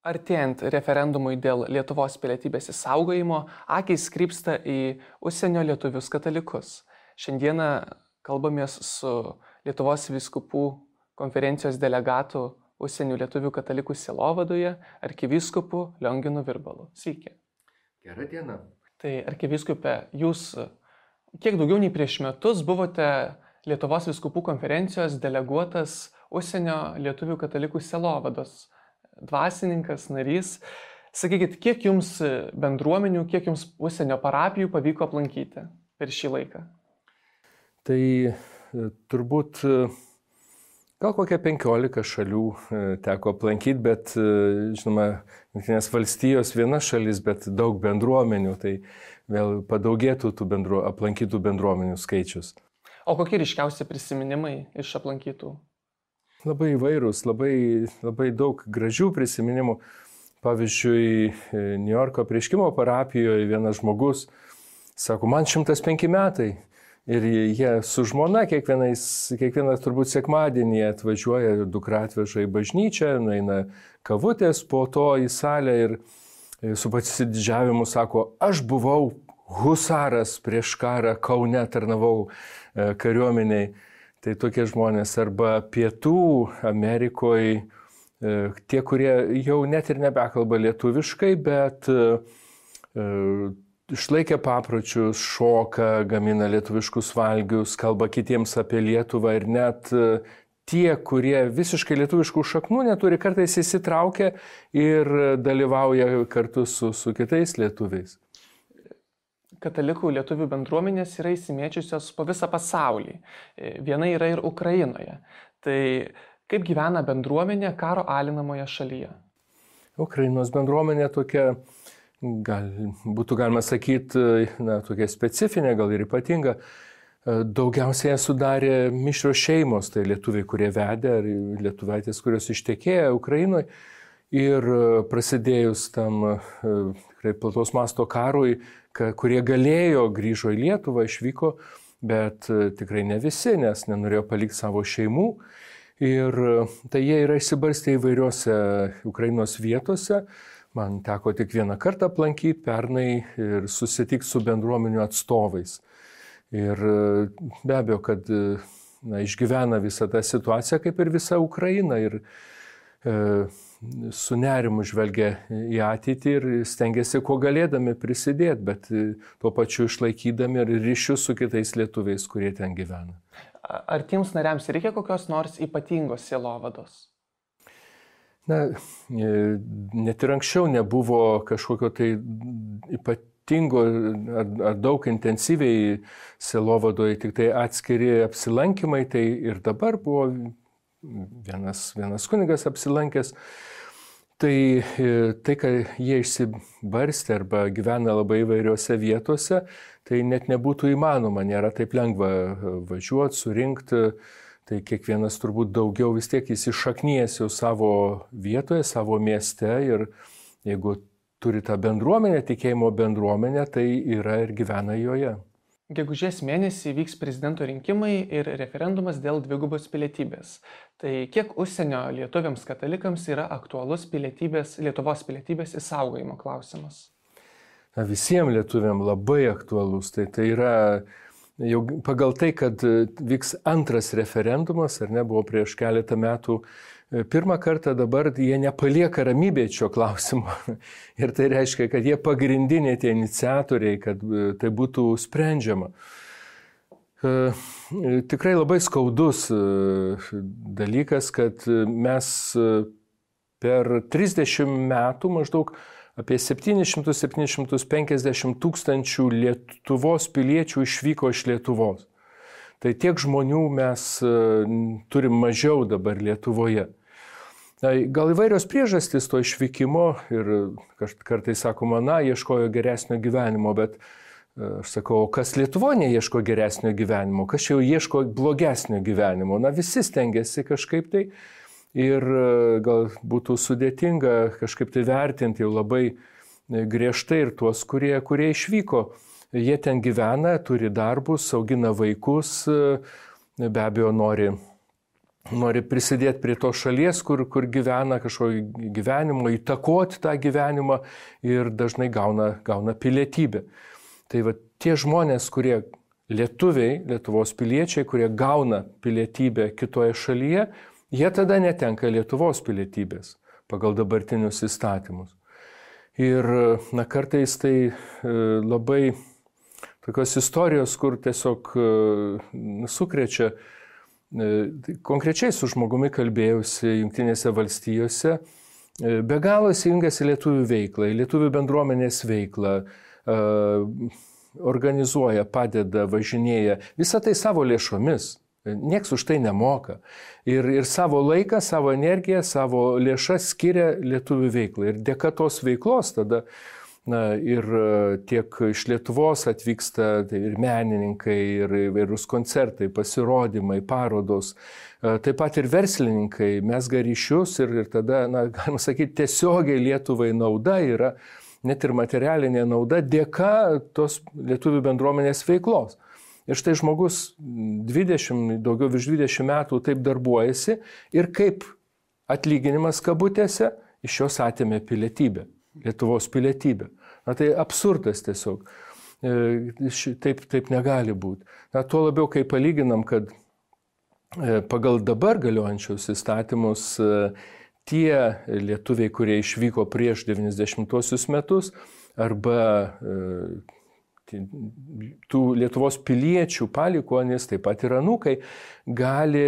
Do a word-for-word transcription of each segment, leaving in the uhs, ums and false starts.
Artėjant referendumui dėl Lietuvos pilietybės išsaugojimo, akys krypsta į užsienio lietuvius katalikus. Šiandieną kalbamės su Lietuvos vyskupų konferencijos delegatu užsienio lietuvių katalikų sielovadoje arkivyskupu Lionginu Virbalu. Sveiki. Gerą dieną. Tai arkivyskupė, jūs kiek daugiau nei prieš metus buvote Lietuvos vyskupų konferencijos deleguotas užsienio lietuvių katalikų sielovados dvasininkas, narys. Sakykit, kiek jums bendruomenių, kiek jums užsienio parapijų pavyko aplankyti per šį laiką? Tai turbūt gal kokia penkiolika šalių teko aplankyti, bet žinoma, Jungtinės valstijos viena šalis, bet daug bendruomenių, tai vėl padaugėtų tų bendru, aplankytų bendruomenių skaičius. O kokie ryškiausi prisiminimai iš aplankytų? Labai įvairūs, labai, labai daug gražių prisiminimų. Pavyzdžiui, New Yorko Apreiškimo parapijoje vienas žmogus sako, man šimtas penki metai. Ir jie su žmona kiekvienas turbūt sekmadienį atvažiuoja, dukra atveža į bažnyčią, nueina kavutės, po to į salę ir su pasididžiavimu sako, aš buvau husaras prieš karą, Kaune tarnavau kariuomeniai. Tai tokie žmonės arba Pietų Amerikoje, tie, kurie jau net ir nebekalba lietuviškai, bet išlaikė papročius, šoka, gamina lietuviškus valgius, kalba kitiems apie Lietuvą ir net tie, kurie visiškai lietuviškų šaknų neturi, kartais įsitraukia ir dalyvauja kartu su, su kitais lietuviais. Katalikų lietuvių bendruomenės yra įsimėčiusios po visą pasaulį. Viena yra ir Ukrainoje. Tai kaip gyvena bendruomenė karo alinamoje šalyje? Ukrainos bendruomenė tokia, gal, būtų galima sakyti, na, tokia specifinė, gal ir ypatinga. Daugiausiai sudarė mišrios šeimos, tai lietuviai, kurie vedė, ar lietuvaitės, kurios ištekėjo Ukrainoje. Ir prasidėjus tam tikrai plataus masto karui, kurie galėjo, grįžo į Lietuvą, išvyko, bet tikrai ne visi, nes nenorėjo palikti savo šeimų. Ir tai jie yra išsibarstę įvairiose Ukrainos vietose. Man teko tik vieną kartą aplankyti pernai ir susitikti su bendruomenių atstovais. Ir be abejo, kad na, išgyvena visą tą situaciją, kaip ir visa Ukraina. Ir e, su nerimu žvelgia į ateitį ir stengiasi, kuo galėdami prisidėti, bet tuo pačiu išlaikydami ir ryšius su kitais lietuviais, kurie ten gyvena. Ar tiems nariams reikia kokios nors ypatingos sielovados? Na, net ir anksčiau nebuvo kažkokio tai ypatingo ar, ar daug intensyviai sielovadoje, tik tai atskiri apsilankymai, tai ir dabar buvo vienas, vienas kunigas apsilankęs. Tai, tai, kad jie išsibarstė arba gyvena labai įvairiose vietose, tai net nebūtų įmanoma, nėra taip lengva važiuoti, surinkti. Tai kiekvienas turbūt daugiau vis tiek įsišaknijęs jau savo vietoje, savo mieste ir jeigu turi tą bendruomenę, tikėjimo bendruomenę, tai yra ir gyvena joje. Gegužės mėnesį vyks prezidento rinkimai ir referendumas dėl dvigubos pilietybės. Tai kiek užsienio lietuviams katalikams yra aktualus pilietybės, Lietuvos pilietybės išsaugojimo klausimas? Na, visiems lietuviams labai aktualus. Tai, tai yra jau pagal tai, kad vyks antras referendumas, ar ne, buvo prieš keletą metų. Pirmą kartą dabar jie nepalieka ramybėje šio klausimo. Ir tai reiškia, kad jie pagrindiniai tie iniciatoriai, kad tai būtų sprendžiama. Tikrai labai skaudus dalykas, kad mes per trisdešimt metų maždaug apie septynis šimtus iki septynių šimtų penkiasdešimt tūkstančių Lietuvos piliečių išvyko iš Lietuvos. Tai tiek žmonių mes turim mažiau dabar Lietuvoje. Gal įvairios priežastys to išvykimo ir kartais sakoma, na, ieškojo geresnio gyvenimo, bet aš sakau, kas Lietuvoje neieško geresnio gyvenimo, kas jau ieško blogesnio gyvenimo. Na, visi stengiasi kažkaip tai ir gal būtų sudėtinga kažkaip tai vertinti jau labai griežtai ir tuos, kurie, kurie išvyko. Jie ten gyvena, turi darbus, augina vaikus, be abejo nori nori prisidėti prie to šalies, kur, kur gyvena kažkokio gyvenimo, įtakoti tą gyvenimą ir dažnai gauna, gauna pilietybę. Tai va tie žmonės, kurie lietuviai, Lietuvos piliečiai, kurie gauna pilietybę kitoje šalyje, jie tada netenka Lietuvos pilietybės pagal dabartinius įstatymus. Ir na, kartais tai labai tokios istorijos, kur tiesiog sukrečia. Konkrečiai su žmogumi kalbėjausi Jungtinėse valstijose, be galo įsijungęs į lietuvių veiklą, į lietuvių bendruomenės veiklą, organizuoja, padeda, važinėja, visą tai savo lėšomis, nieks už tai nemoka. Ir, ir savo laiką, savo energiją, savo lėšas skiria lietuvių veiklai. Ir dėka tos veiklos tada na, ir tiek iš Lietuvos atvyksta tai ir menininkai, ir įvairūs koncertai, pasirodymai, parodos, taip pat ir verslininkai, mezga ryšius ir, ir tada, na, galima sakyti, tiesiogiai Lietuvai nauda yra, net ir materialinė nauda dėka tos lietuvių bendruomenės veiklos. Ir štai žmogus dvidešimt, daugiau virš dvidešimt metų taip darbuojasi ir kaip atlyginimas kabutėse iš jos atėmė pilietybę, Lietuvos pilietybę. Na tai absurdas tiesiog. Taip, taip negali būti. Na tuo labiau, kai palyginam, kad pagal dabar galiojančius įstatymus tie lietuviai, kurie išvyko prieš devyniasdešimtuosius metus arba tų Lietuvos piliečių palikuonys, taip pat ir anūkai, gali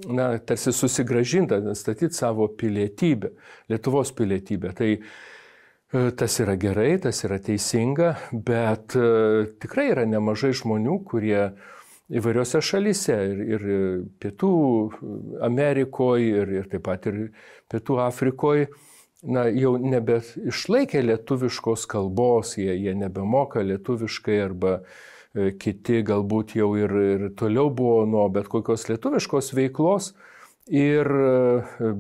na, tarsi susigrąžinti, statyti savo pilietybę, Lietuvos pilietybę. Tai tas yra gerai, tas yra teisinga, bet tikrai yra nemažai žmonių, kurie įvairiose šalyse ir, ir Pietų Amerikoje, ir, ir taip pat ir Pietų Afrikoje, na, jau nebe išlaikė lietuviškos kalbos, jie, jie nebemoka lietuviškai arba kiti galbūt jau ir, ir toliau buvo nuo bet kokios lietuviškos veiklos. Ir,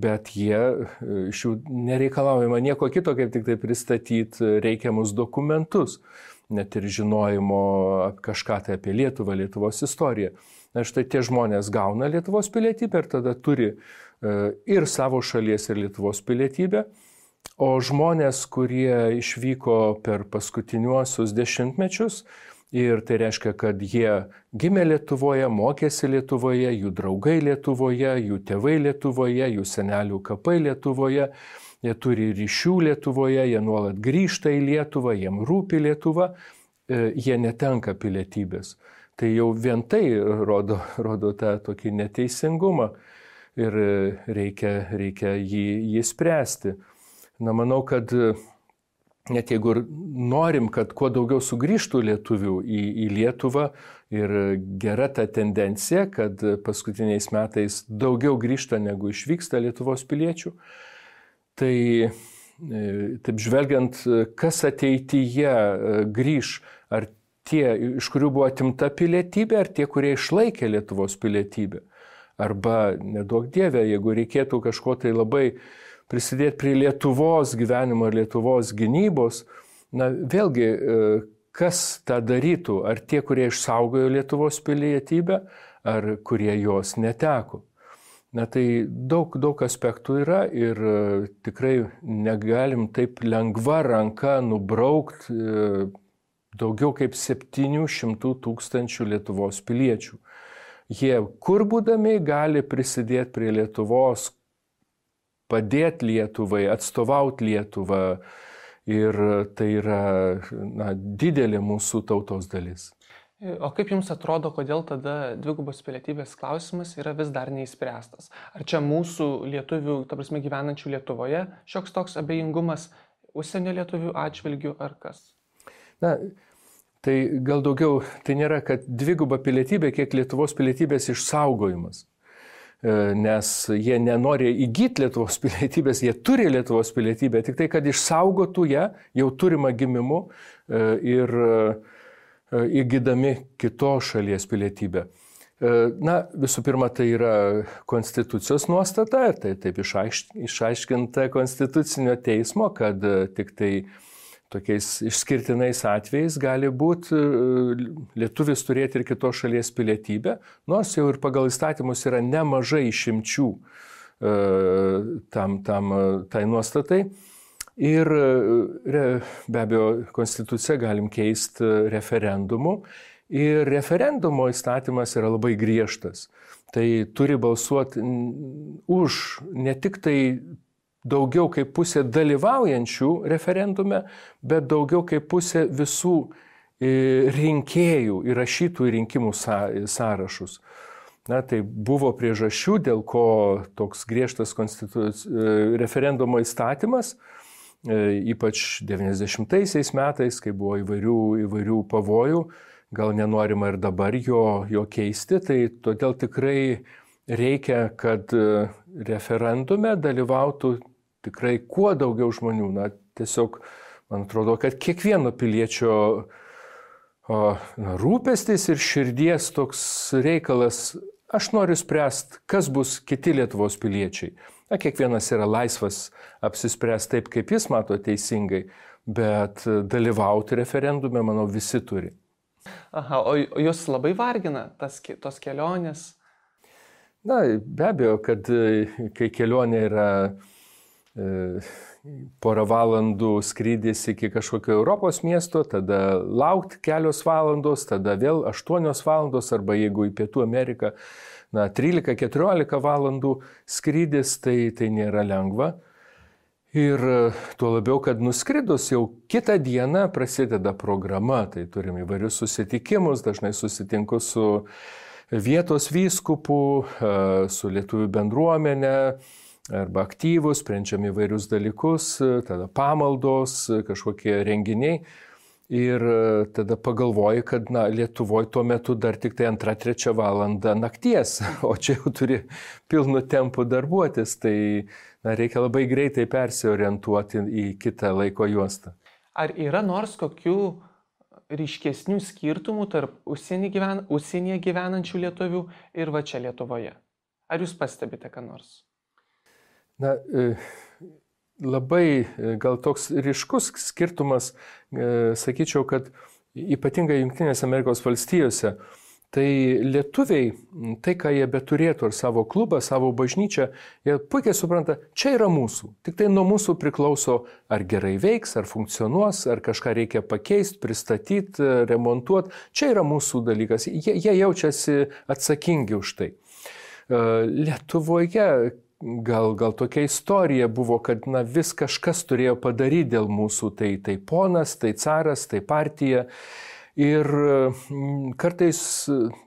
bet jie iš jų nereikalaujama nieko kito, kaip tik tai pristatyti reikiamus dokumentus, net ir žinojimo kažką tai apie Lietuvą, Lietuvos istoriją. Na štai tie žmonės gauna Lietuvos pilietybę ir tada turi ir savo šalies ir Lietuvos pilietybę, o žmonės, kurie išvyko per paskutiniuosius dešimtmečius, ir tai reiškia, kad jie gimė Lietuvoje, mokėsi Lietuvoje, jų draugai Lietuvoje, jų tėvai Lietuvoje, jų senelių kapai Lietuvoje, jie turi ryšių Lietuvoje, jie nuolat grįžta į Lietuvą, jiem rūpi Lietuva, jie netenka pilietybės. Tai jau vien tai rodo, rodo tą tokį neteisingumą ir reikia, reikia jį, jį spręsti. Na, manau, kad net jeigu norim, kad kuo daugiau sugrįžtų lietuvių į, į Lietuvą ir gera ta tendencija, kad paskutiniais metais daugiau grįžta negu išvyksta Lietuvos piliečių, tai taip žvelgiant, kas ateityje grįž, ar tie, iš kurių buvo atimta pilietybė, ar tie, kurie išlaikė Lietuvos pilietybę. Arba, neduok Dieve, jeigu reikėtų kažko tai labai prisidėti prie Lietuvos gyvenimo ir Lietuvos gynybos, na vėlgi, kas tą darytų? Ar tie, kurie išsaugojo Lietuvos pilietybę, ar kurie jos neteko? Na tai daug, daug aspektų yra ir tikrai negalim taip lengva ranka nubraukti daugiau kaip septynių šimtų tūkstančių Lietuvos piliečių. Jie kur būdami gali prisidėti prie Lietuvos, padėti Lietuvai, atstovauti Lietuvą ir tai yra na, didelė mūsų tautos dalis. O kaip Jums atrodo, kodėl tada dvigubos pilietybės klausimas yra vis dar neįspręstas? Ar čia mūsų lietuvių, ta prasme gyvenančių Lietuvoje, šioks toks abejingumas užsienio lietuvių atžvilgių ar kas? Na, tai gal daugiau, tai nėra, kad dviguba pilietybė, kiek Lietuvos pilietybės išsaugojimas. Nes jie nenori įgyti Lietuvos pilietybės, jie turi Lietuvos pilietybę, tik tai, kad išsaugotų ją jau turimą gimimu ir įgydami kitos šalies pilietybę. Na, visų pirma, tai yra konstitucijos nuostata, tai taip išaiškinta konstitucinio teismo, kad tik tai tokiais išskirtinais atvejais gali būti lietuvis turėti ir kitos šalies pilietybę, nors jau ir pagal įstatymus yra nemažai išimčių tam, tam, tai nuostatai. Ir be abejo, konstituciją galim keisti referendumu. Ir referendumo įstatymas yra labai griežtas. Tai turi balsuoti už ne tik tai daugiau kaip pusė dalyvaujančių referendume, bet daugiau kaip pusė visų rinkėjų įrašytų į rinkimų sąrašus. Na, tai buvo priežasčių, dėl ko toks griežtas referendumo įstatymas, ypač devyniasdešimtaisiais metais, kai buvo įvairių, įvairių pavojų, gal nenorima ir dabar jo, jo keisti, tai todėl tikrai reikia, kad referendume dalyvautų tikrai kuo daugiau žmonių. Na, tiesiog, man atrodo, kad kiekvieno piliečio o, na, rūpestis ir širdies toks reikalas, aš noriu spręsti, kas bus kiti Lietuvos piliečiai. Na, kiekvienas yra laisvas apsispręsti taip, kaip jis mato teisingai, bet dalyvauti referendume, manau, visi turi. Aha, o jūs labai vargina tas, tos kelionės? Na, be abejo, kad kai kelionė yra e, porą valandų skrydis iki kažkokio Europos miesto, tada laukti kelios valandos, tada vėl aštuonios valandos, arba jeigu į Pietų Ameriką, na, trylika keturiolika valandų skrydis, tai, tai nėra lengva. Ir tuo labiau, kad nuskridus jau kitą dieną prasideda programa, tai turim įvairius susitikimus, dažnai susitinku su vietos vyskupu, su lietuvių bendruomenė, arba aktyvus, sprendžiam įvairius dalykus, tada pamaldos, kažkokie renginiai. Ir tada pagalvoji, kad na, Lietuvoje tuo metu dar tik tai antrą, trečią valandą nakties, o čia jau turi pilnu tempu darbuotis, tai na, reikia labai greitai persiorientuoti į kitą laiko juostą. Ar yra nors kokių ryškesnių skirtumų tarp užsienį gyven, užsienyje gyvenančių lietuvių ir va čia Lietuvoje? Ar jūs pastebite ką nors? Na, labai gal toks ryškus skirtumas, sakyčiau, kad ypatingai Jungtinėse Amerikos valstijose, tai lietuviai, tai ką jie beturėtų, ar savo klubą, savo bažnyčią, jie puikiai supranta, čia yra mūsų. Tik tai nuo mūsų priklauso, ar gerai veiks, ar funkcionuos, ar kažką reikia pakeisti, pristatyti, remontuoti. Čia yra mūsų dalykas. Jie, jie jaučiasi atsakingi už tai. Lietuvoje gal, gal tokia istorija buvo, kad na, vis kažkas turėjo padaryti dėl mūsų. Tai, tai ponas, tai caras, tai partija. Ir kartais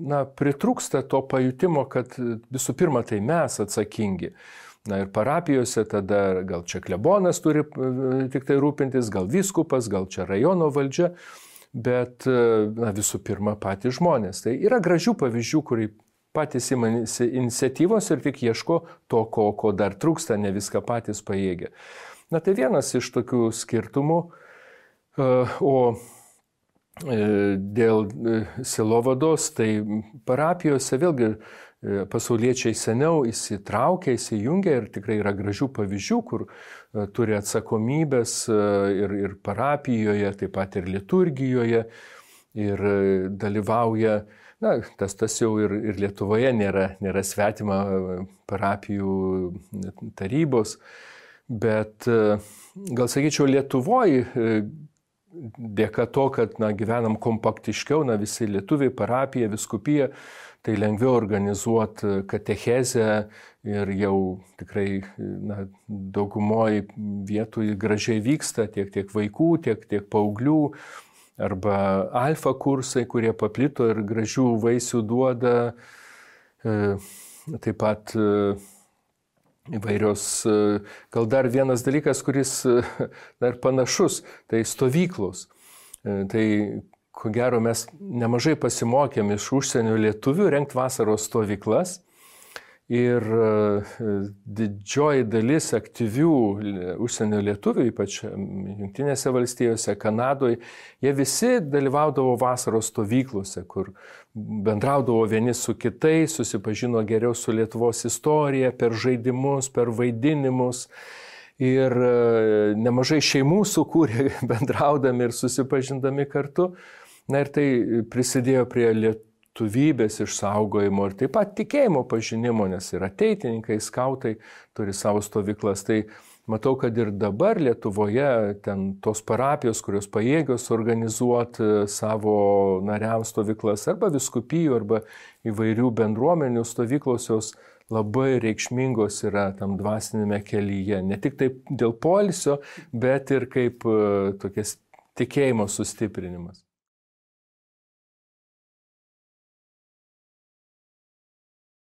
na, pritrūksta to pajutimo, kad visų pirma tai mes atsakingi. Na ir parapijose tada gal čia klebonas turi tik tai rūpintis, gal vyskupas, gal čia rajono valdžia, bet na, visų pirma patys žmonės. Tai yra gražių pavyzdžių, kurie patys imasi iniciatyvos ir tik ieško to, ko, ko dar trūksta, ne viską patys pajėgia. Na tai vienas iš tokių skirtumų. O dėl sielovados, tai parapijose vėlgi pasauliečiai seniau įsitraukia, įsijungia ir tikrai yra gražių pavyzdžių, kur turi atsakomybės ir, ir parapijoje, taip pat ir liturgijoje ir dalyvauja, na, tas, tas jau ir, ir Lietuvoje nėra, nėra svetima parapijų tarybos, bet gal sakyčiau Lietuvoje, dėka to, kad na, gyvenam kompaktiškiau, na, visi lietuviai, parapija, viskupija, tai lengviau organizuoti katechezę ir jau tikrai na, daugumoje vietų gražiai vyksta tiek, tiek vaikų, tiek, tiek paauglių, arba alfa kursai, kurie paplito ir gražių vaisių duoda, taip pat įvairios, gal dar vienas dalykas, kuris dar panašus, tai stovyklos. Tai ko gero mes nemažai pasimokėm iš užsienio lietuvių rengti vasaros stovyklas ir didžioji dalis aktyvių užsienio lietuvių, ypač Jungtinėse valstijose, Kanadoje, jie visi dalyvaudavo vasaros stovyklose, kur bendraudavo vieni su kitais, susipažino geriau su Lietuvos istorija per žaidimus, per vaidinimus. ir nemažai šeimų sukūrė bendraudami ir susipažindami kartu. Na ir tai prisidėjo prie lietuvybės išsaugojimo ir taip pat tikėjimo pažinimo, nes ir ateitininkai, skautai turi savo stovyklas. Tai matau, kad ir dabar Lietuvoje ten tos parapijos, kurios pajėgios organizuoti savo nariams stovyklas, arba vyskupijų, arba įvairių bendruomenių stovyklos, jos labai reikšmingos yra tam dvasinėme kelyje. Ne tik taip dėl poilsio, bet ir kaip tokias tikėjimo sustiprinimas.